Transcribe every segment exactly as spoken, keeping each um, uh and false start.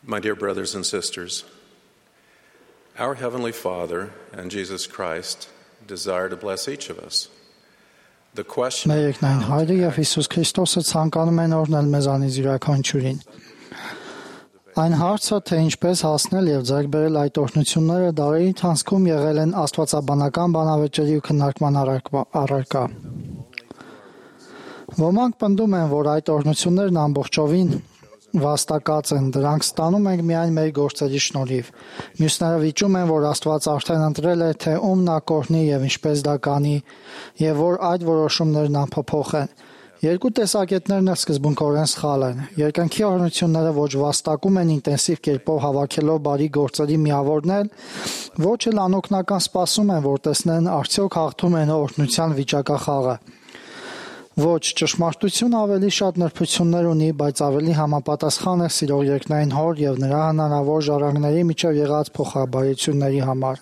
My dear brothers and sisters, our Heavenly Father and Jesus Christ desire to bless each of us. The question Մեր երկնային Հայրը եւ Հիսուս Քրիստոսը ցանկանում են օրհնել մեզանից յուրաքանչյուրին։ Այն հարցը, թե ինչպես հասնել եւ ձեռք բերել այդ օրհնությունները, դարերի ընթացքում եղել են աստվածաբանական բանավեճերի ու քննարկման առարկա։ Ոմանք պնդում են, որ այդ օրհնություններն ամբողջովին վաստակած են, դրանք ստանում ենք միայն մեր գործերի շնորհիվ։ Մյուսները վիճում են, որ Աստված արդեն ընտրել է, թե ում նա կօրհնի եւ ինչպես դա կանի, եւ որ այդ որոշումներն անփոփոխ են։ Երկու տեսակետներն էլ սկզբունքորեն սխալ են։ Երկնքի օրհնությունները ոչ վաստակում են ինտենսիվ կերպով հավաքելով բարի գործերի միավորներ, ոչ էլ անօգնական սպասում են, որ տեսնեն արդյոք հաղթում են օրհնության վիճակախաղը։ Ոչ, ճշմարտությունը ավելի շատ նրբություններ ունի, բայց ավելի համապատասխան է սիրող երկնային Հոր եւ նրա հնարավոր ժառանգների միջև եղած փոխաբարությունների համար։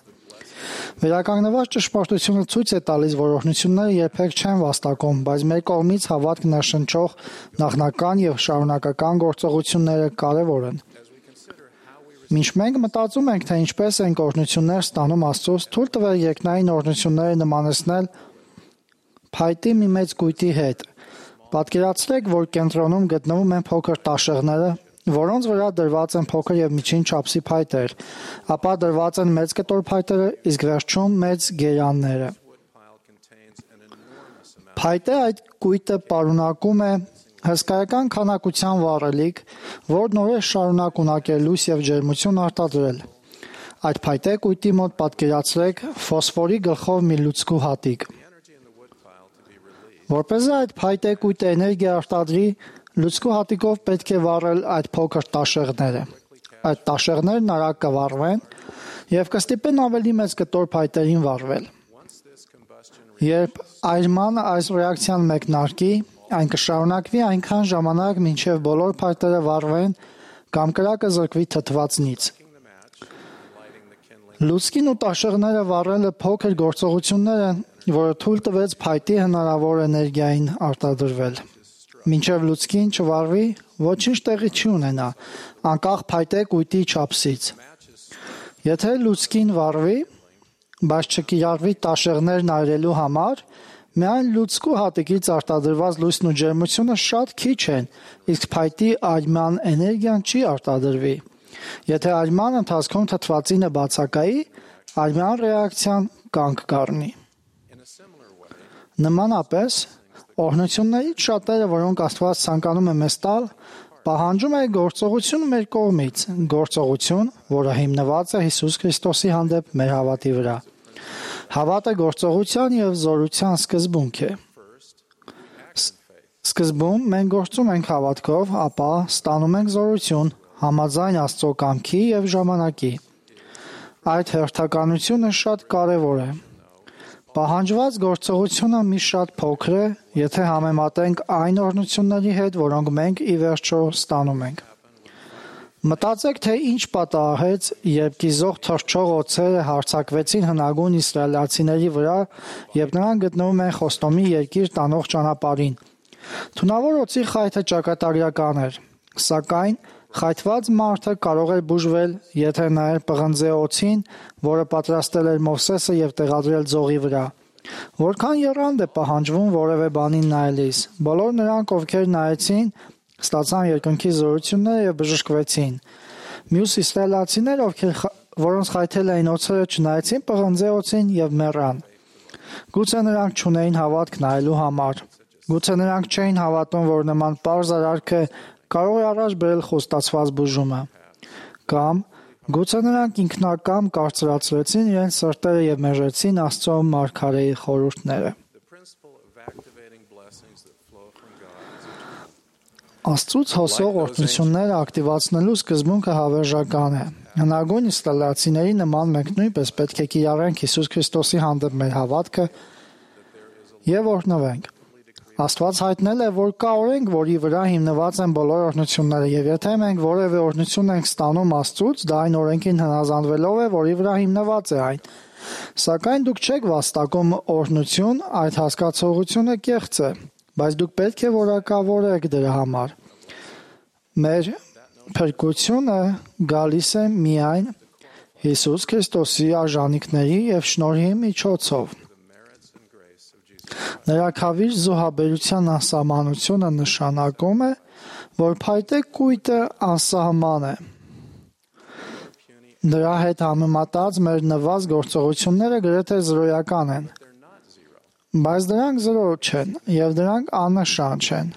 Վերականգնված ճշմարտությունը ցույց է տալիս, որ օրհնությունները երբեք չեն վաստակում, բայց մեր կողմից հավատք ներշնչող նախնական եւ շարունակական գործողությունները կարեւոր են։ Մինչ մենք մտածում ենք, թե ինչպես ենք օրհնություններ ստանում Աստծուց, թույլ տվեք երկնային օրհնությունները նմանեցնել փայտի մի մեծ կույտի հետ։ Պատկերացրեք, որ կենտրոնում գտնվում են փոքր տաշեղները, որոնց վրա դրված են փոքր եւ միջին չափսի փայտեր, ապա դրված են մեծ կտոր փայտերը, իսկ վերջում մեծ գերանները։ Փայտե այդ կույտը պարունակում է հսկայական քանակության վառելիք, որն օրեր շարունակ ունակել լույս եւ ջերմություն արտադրել։ Այդ փայտե կույտի մոտ պատկերացրեք ֆոսֆորի գլխով մի լուցկու հատիկ։ Որպես այդ փայտե կույտը էներգիա արտադրի, լուցկու հատիկով պետք է վառել այդ փոքր տաշեղները։ Այդ տաշեղներն արագ կվառվեն եւ կստիպեն ավելի մեծ կտոր փայտերին վառվել։ Երբ այրման այս ռեակցիան մեկնարկի, այն կշարունակվի այնքան ժամանակ, մինչև բոլոր փայտերը վառվեն կամ կրակը զրկվի թթվածնից։ Լուցկին ու տաշեղները վառելը փոքր գործողություններ են, որը թույլ տվեց փայտի հնարավոր էներգիային արտադրվել։ Մինչև լուցկին չվառվի, ոչինչ տեղի չի ունենա, անկախ փայտե կույտի չափսից։ Եթե լուցկին վառվի, բայց չկիրառվի տաշեղներն այրելու համար, միայն լուցկու հատիկից արտադրված լույսն ու ջերմությունը շատ քիչ են, իսկ փայտի այրման էներգիան չի արտադրվի։ Եթե այրման ընթացքում թթվածինը բացակայի, այրման ռեակցիան կանգ կառնի։ Նմանապես, օրհնություններից շատերը, որոնք Աստված ցանկանում է մեզ տալ, պահանջում է գործողություն մեր կողմից, գործողություն, որը հիմնված է Հիսուս Քրիստոսի հանդեպ մեր հավատի վրա։ Հավատը գործողության եւ զորության սկզբունք է։ Սկզբում մենք գործում ենք հավատքով, ապա ստանում ենք զորություն, համաձայն Աստծո կամքի եւ ժամանակի։ Այդ հերթականությունը շատ կարեւոր է։ Պահանջված գործողությունը մի շատ փոքր է, եթե համեմատենք այն օրհնությունների հետ, որոնք մենք ի վերջո ստանում ենք։ Մտածեք, թե ինչ պատահեց, երբ կիզող թռչող օձերը հարձակվեցին հնագույն իսրայելացիների վրա, եւ նրանք գտնվում են Խոստոմի երկիր տանող ճանապարհին։ Թունավոր օձի խայթը ճակատագրական էր, սակայն խայթված մարդը կարող էր բուժվել, եթե նայեր պղնձե օձին, որը պատրաստել էր Մովսեսը եւ տեղադրել ձողի վրա։ Որքան եռանդ է պահանջվում որևէ բանին նայելիս։ Բոլոր նրանք, ովքեր նայեցին, ստացան երկնքի զորությունները եւ բժշկվեցին։ Մյուս իսրայելացիներ, ովքեր որոնց խայթել էին օձերը, չնայեցին պղնձե օձին եւ մեռան։ Գուցե նրանք չունեին հավատք նայելու համար։ Գուցե նրանք չէին հավատում, որ նման պարզ արարքը կարող է առաջ բերել խոստացված բուժումը։ Կամ գուցե նրանք ինքնակամ կարծրացրեցին իրենց սրտերը եւ մերժեցին Աստծո մարգարեի խորհուրդները։ Աստծուց հոսող օրհնությունները ակտիվացնելու սկզբունքը հավերժական է։ Հնագույն իսրայելացիների նման մենք նույնպես պետք է կիրառենք Հիսուս Քրիստոսի հանդեպ մեր հավատքը եւ օրհնվենք։ Աստված հայտնել է, որ կա օրենք, որի վրա հիմնված են բոլոր օրհնությունները, եւ եթե մենք որևէ օրհնություն ենք ստանում Աստծուց, դա այն օրենքին հնազանդվելով է, որի վրա հիմնված է այն։ Սակայն դուք չեք վաստակում օրհնություն, այդ հասկացողությունը կեղծ է, բայց դուք պետք է որակավորեք դրա համար։ Մեր Փրկությունը գալիս է միայն Հիսուս Քրիստոսի արժանինքների եւ շնորհի միջոցով։ Նրա քավիր զոհաբերության անսահմանությունը նշանակում է, որ փայտե կույտը անսահման է։ Դրա հետ համեմատած մեր նվազ գործողությունները գրեթե զրոյական են, բայց դրանք զրո չեն եւ դրանք աննշան չեն։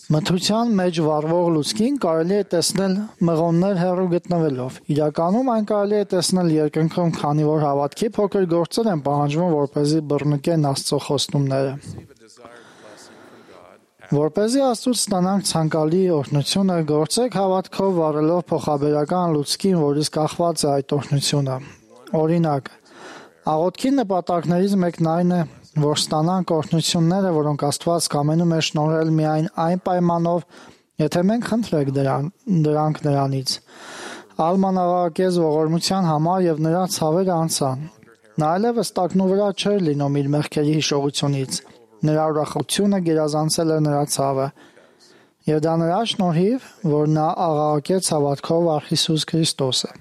Մթության մեջ վառվող լուցկին կարելի է տեսնել մղոններ հեռու գտնվելով։ Իրականում այն կարելի է տեսնել երկնքում, քանի որ հավատքի փոքր գործեր են պահանջվում, որպեսզի բռնկեն Աստծո խոստումները։ Որպեսզի Աստծուց ստանանք ցանկալի օրհնությունը, գործեք հավատքով վառելով փոխաբերական լուցկին, որից կախված է այդ օրհնությունը։ Օրինակ, աղոթքի նպատակներից մեկն այն է, որ ստանանք օրհնությունները, որոնք Աստված կամենում է շնորհել միայն այն պայմանով, եթե մենք խնդրենք դրան, դրանք նրանից։ Ալման աղաղակեց ողորմության համար եւ նրա ցավերը անցան։ Նա այլևս տակնու վրա չէր լինում իր մեղքերի հիշողությունից։ Նրա ուրախությունը գերազանցել էր նրա ցավը։ Եվ դա նրա շնորհիվ, որ նա աղաղակեց հավատքով առ Հիսուս Քրիստոսը։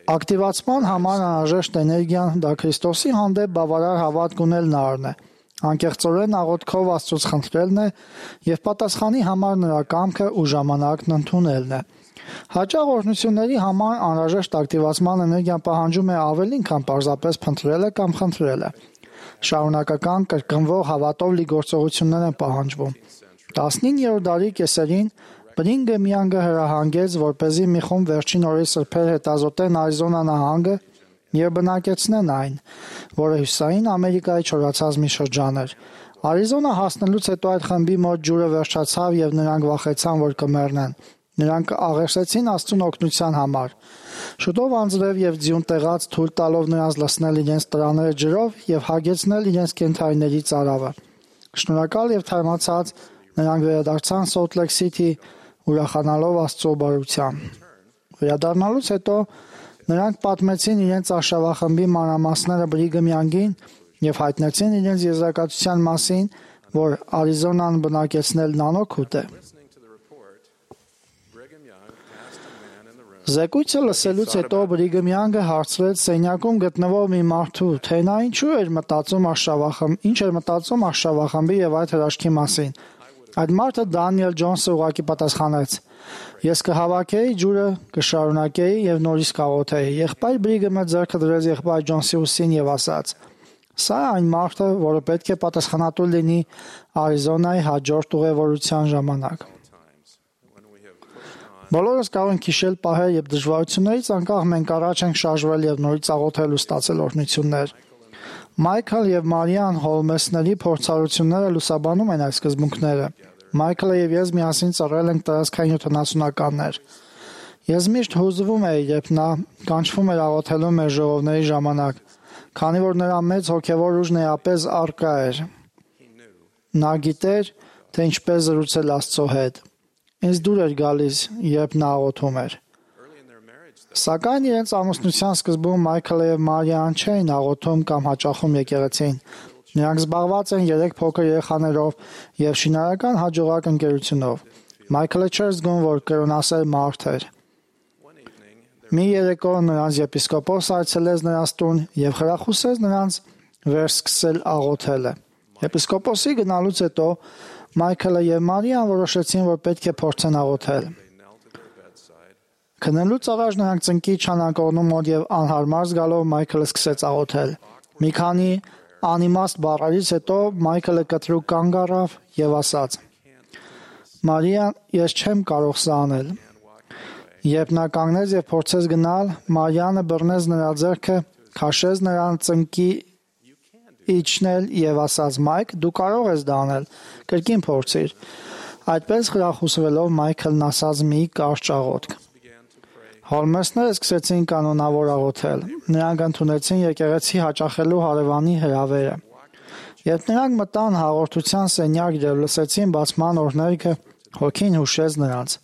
Ակտիվացման համար անհրաժեշտ էներգիան դա Քրիստոսի հանդեպ բավարար հավատք ունելն առն է, անկեղծորեն աղոթքով Աստծուց խնդրելն է եւ պատասխանի համար նրա կամքը ու ժամանակն ընդունելն է։ Հաճախ օրհնությունների համար անհրաժեշտ ակտիվացման էներգիան պահանջում է ավելին, քան պարզապես փնտրելը կամ խնդրելը։ Շարունակական կրկնվող հավատով լի գործողություններ են պահանջվում։ տասնիններորդ դարի կեսերին Բրինգեմ Յանգը հրահանգեց, որպեսզի մի խումբ վերջին օրերի սրբեր հետազոտեն Արիզոնա նահանգը եւ բնակեցնեն այն, որը հյուսիսային Ամերիկայի չորացած մի շրջան էր։ Արիզոնա հասնելուց հետո այդ խմբի մոտ ջուրը վերջացավ եւ նրանք վախեցան, որ կմեռնեն։ Նրանք աղերսեցին Աստծուն օգնության համար։ Շուտով անձրև եւ ձյուն տեղած թույլ տալով նրանց լցնել իրենց տրաները ջրով եւ հագեցնել իրենց կենթարիների ծարավը։ Շնորհակալ եւ թարմացած նրանք վերադարձան Սոլտ Լեյք Սիթի, ուրախանալով Աստծո բարության։ Վերադառնալուց հետո նրանք պատմեցին իրենց արշավախմբի մանրամասները Բրիգեմ Յանգին եւ հայտնեցին իրենց եզրակացության մասին, որ Արիզոնան բնակեցնել նանոքուտ է։ Զեկույցը լսելուց հետո Բրիգեմ Յանգը հարցրեց սենյակում գտնվող մի մարդու, թե նա ինչու էր մտածում արշավախմբի, ինչ էր մտածում արշավախմբի եւ այդ հրաշքի մասին։ Այդ մարդը Դանիել Ջոնսը ուղղակի պատասխանեց. Ես կհավաքեի ջուրը, կշարունակեի եւ նորից կաղոթեի։ Եղբայր Բրիգեմը ձեռքը դրեց եղբայր Ջոնսի ուսին եւ ասաց. Սա այն մարդը, որը պետք է պատասխանատու լինի Արիզոնայի հաջորդ ուղևորության ժամանակ։ Բոլորս կարող ենք հիշել պահեր, երբ դժվարություններից անկախ մենք առաջ ենք շարժվել եւ նորից աղոթել ու ստացել օրհնություններ։ Մայքլ եւ Մարիան Հոլմեսների փորձառությունները լուսաբանում են այս սկզբունքները։ Մայքլը եւ ես միասին ծառայել ենք տարածքային յոթանասունականներ։ Ես միշտ հուզվում էի, երբ նա կանչվում էր աղոթելու մեր ժողովների ժամանակ, քանի որ նրա մեծ հոգեվոր ուժն էապես առկա էր։ Նա գիտեր, թե ինչպես զրուցել Աստծո հետ։ Ինձ դուր էր գալիս, երբ նա աղոթում էր։ Սակայն իրենց ամուսնության սկզբում Մայքլը եւ Մարիան չէին աղոթում կամ հաճախում եկեղեցին։ Նրանք զբաղված են երեք փոքր երեխաներով եւ շինարարական հաջողակ ընկերությունով։ Մայքլը չէր զգում, որ կրոնասեր մարդ էր։ Մի երեկո նրանց եպիսկոպոսը այցելեց նրանց տուն եւ խրախուսեց նրանց վերսկսել աղոթելը։ Եպիսկոպոսի գնալուց հետո Մայքլը եւ Մարիան որոշեցին, որ պետք է փորձեն աղոթել։ Քնելուց առաջ նրանք ծնկի չանակողնու մոտ եւ անհարմար զգալով Մայքլը սկսեց աղոթել։ Մի քանի անիմաստ բառերից հետո Մայքլը կտրուկ կանգ առավ եւ ասաց. Մարիան, ես չեմ կարող սա անել։ Երբ նա կանգնեց եւ փորձեց գնալ, Մարիանը բռնեց նրա ձեռքը, քաշեց նրան ծնկի իջնել եւ ասաց. Մայք, դու կարող ես դա անել, կրկին փորձիր։ Այդպես խրախուսվելով Մայքլն ասաց մի կարճ աղոթք։ Հոլմեսները սկսեցին կանոնավոր աղոթել։ Նրանք ընդունեցին եկեղեցի հաճախելու հարևանի հրավերը։ Երբ նրանք մտան հաղորդության սենյակ եւ լսեցին բացման օրհներգը, հոգին հուշեց նրանց։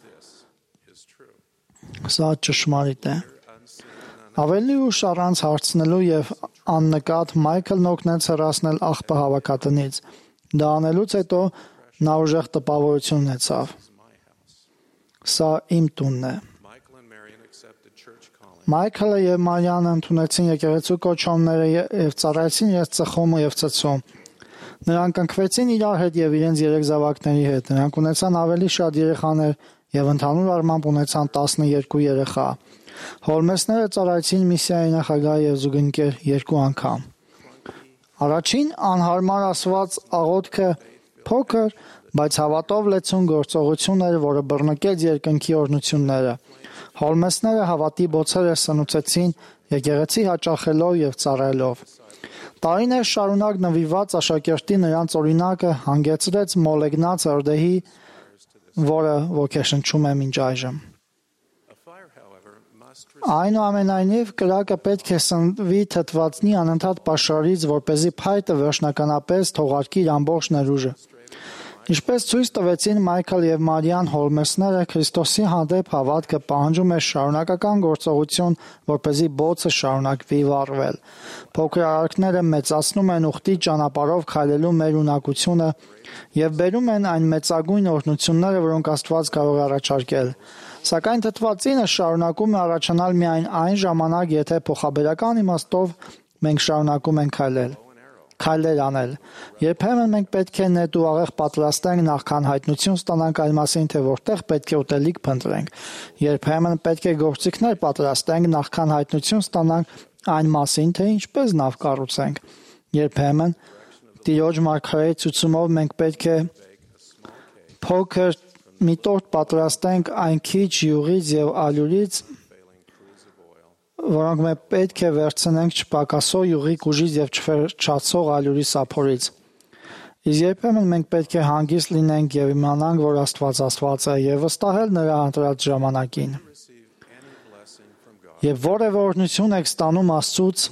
Սա ճշմարիտ է։ Ավելի ուշ առանց հարցնելու եւ աննկատ Մայքլն օգնեց հեռացնել աղբը հավաքատնից։ Դա անելուց հետո նա ուժեղ տպավորություն ունեցավ. «Սա իմ տունն է»։ Մայքլը եւ Մարիանը ընդունեցին եկեղեցու կոչումները եւ ծառայեցին իրենց ծխումը եւ ծծում։ Նրանք ընկվեցին իրար հետ եւ իրենց երեք զավակների հետ։ Նրանք ունեցան ավելի շատ երեխաներ եւ ընդհանուր առմամբ ունեցան տասներկու երեխա։ Հոլմեսները ծառայեցին միսիայի նախագահ եւ զուգընկեր երկու անգամ։ Առաջին անհարմար ասված աղոթքը փոքր, բայց հավատով լեցուն գործողություն էր, որը բռնկեց երկնքի օրհնությունները։ Հոլմեսները հավատի բոցերը սնուցեցին եկեղեցի հաճախելով եւ ծառայելով։ Տարիներ շարունակ նվիրված աշակերտի նրանց օրինակը հանգեցրեց մոլեգնած հրդեհի, որը ոգեշնչում է մինչ այժմ։ Այնուամենայնիվ, կրակը պետք է սնվի թթվածնի անընդհատ պաշարից, որպեսզի փայտը վերջնականապես թողարկի իր ամբողջ ներուժը։ Ինչպես ցույց տվեցին Մայքլ եւ Մարիան, Հոլմեսները Քրիստոսի հանդեպ հավատքը պահանջում է շարունակական գործողություն, որպեսզի բոցը շարունակվի վառվել։ Փոքր արարքները մեծացնում են ուխտի ճանապարհով քայլելու մեր ունակությունը եւ բերում են այն մեծագույն օրհնությունները, որոնք Աստված կարող է առաջարկել։ Սակայն թթվածինը շարունակում է առաջանալ միայն այն ժամանակ, եթե փոխաբերական իմաստով մենք շարունակում ենք քայլել։ Քայլեր անել։ Երբեմն մենք պետք է նետ ու աղեղ պատրաստենք նախքան հայտնություն ստանանք այն մասին, թե որտեղ պետք է ուտելիք փնտրենք։ Երբեմն պետք է գործիքներ պատրաստենք նախքան հայտնություն ստանանք այն մասին, թե ինչպես նավ կառուցենք։ Երբեմն Տիրոջ մարգարեի ցուցումով մենք պետք է փոքր մի տորտ պատրաստենք այն քիչ յուղից եւ ալյուրից, որոնք մենք պետք է վերցնենք չպակասող յուղի ուժից եւ չվերջացող ալյուրի սափորից։ Իսկ երբեմն մենք պետք է հանգիստ լինենք եւ իմանանք, որ Աստված Աստված է եւ վստահել նրա ընտրած ժամանակին։ Եվ որևէ օրհնություն եք ստանում Աստծուց,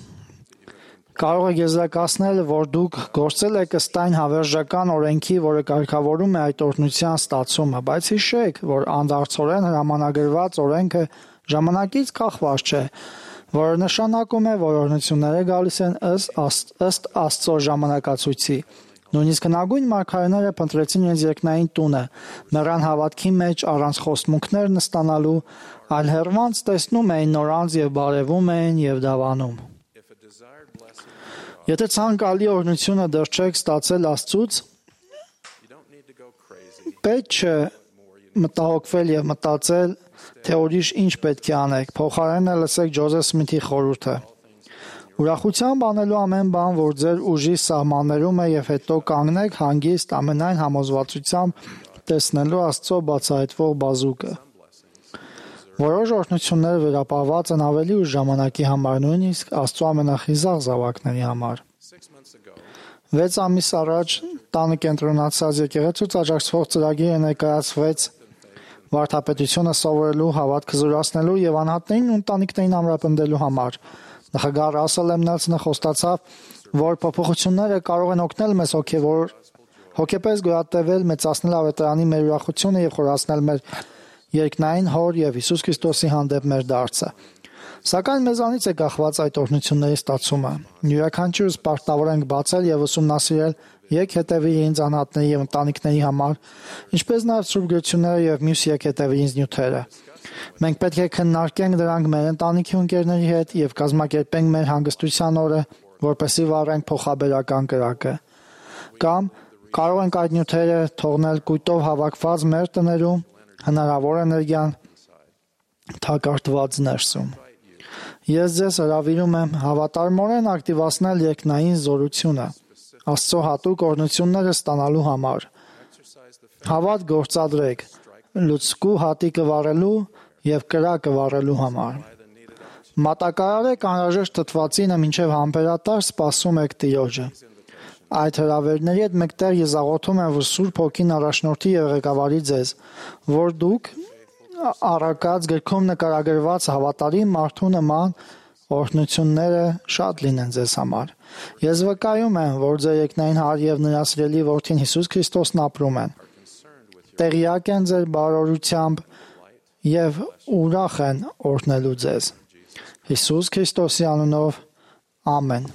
կարող եք եզրակացնել, որ դուք գործել եք ըստ այն հավերժական օրենքի, որը կարգավորում է այդ օրհնության ստացումը, բայց հիշեք, որ անդարձորեն հրամանագրված օրենքը ժամանակից կախված չէ, որը նշանակում է, որ օրհնությունները գալիս են ըստ ըստ Աստծո ժամանակացույցի։ Նույնիսկ հնագույն մարգարեները փնտրեցին իրենց երկնային տունը, մեռան հավատքի մեջ առանց խոստմունքներ նստանալու, այլ հեռվանց տեսնում էին նորանց եւ բարևում էին եւ դավանում։ Եթե ցանկալի օրհնությունը դեռ չեք ստացել Աստծուց, պետք չէ մտահոգվել եւ մտածել, թե ուրիշ ինչ պետք է անեք։ Փոխարենը լսեք Ջոզեֆ Սմիթի խորհուրդը։ Ուրախությամբ անելու ամեն բան, որ ձեր ուժի սահմաններում է, եւ հետո կանգնեք հանգիստ ամենայն համոզվածությամբ տեսնելու Աստծո բացահայտվող բազուկը։ Որոշ օրհնություններ վերապահված են ավելի ուշ ժամանակի համար, նույնիսկ Աստծո ամենախիզախ զավակների համար։ Վեց ամիս առաջ տանը կենտրոնացած եկեղեցուց աջակցվող ծրագիրը ներկայացվեց վարդապետությունը սովորելու, հավատքը զորացնելու եւ անհատներին ու ընտանիքներին ամրապնդելու համար։ Նախագահ Ռասել Էմնելսոնը խոստացավ, որ փոփոխությունները կարող են օգնել մեզ հոգեվոր հոգեպես գոյատևել, մեծացնել ավետարանի մեր ուրախությունը եւ խորացնել մեր երկնային Հոր եւ Հիսուս Քրիստոսի հանդեպ մեր դարձը։ Սակայն մեզանից է կախված այդ օրհնությունների ստացումը։ Յուրաքանչյուրս պարտավոր ենք բացել եւ ուսումնասիրել եք հետևի ինձ անհատների եւ ընտանիքների համար, ինչպես նաեւ Սուրբ Գրությունները եւ մյուս եք հետևի ինձ նյութերը։ Մենք պետք է քննարկենք դրանք մեր ընտանիքի ու ընկերների հետ եւ կազմակերպենք մեր հանգստության օրը, որպեսզի վառենք փոխաբերական կրակը։ Կամ կարող ենք այդ նյութերը թողնել կույտով հավաքված մեր տներում, հնարավոր էներգիան թակարդված ներսում։ Ես ձեզ հրավիրում եմ հավատարմորեն ակտիվացնել երկնային զորությունը Աստծո հատուկ օրհնությունները ստանալու համար։ Հավատ գործադրեք լուցկու հատիկը վառելու եւ կրակը վառելու համար։ Մատակարարեք անհրաժեշտ թթվածինը մինչև համբերատար սպասում եք Տիրոջը։ Այդ հրավերների հետ մեկտեղ ես աղոթում եմ, որ Սուրբ Հոգին առաջնորդի եւ ղեկավարի ձեզ, որ դուք առակած գրքում նկարագրված հավատարիմ մարդու նման օրհնությունները շատ լինեն ձեզ համար։ Ես վկայում եմ, որ ձեր երկնային Հայր եւ նրա սիրելի Որդին Հիսուս Քրիստոսն ապրում են։ Տեղյակ են ձեր բարօրությամբ եւ ուրախ են օրհնելու ձեզ։ Հիսուս Քրիստոսի անունով ամեն։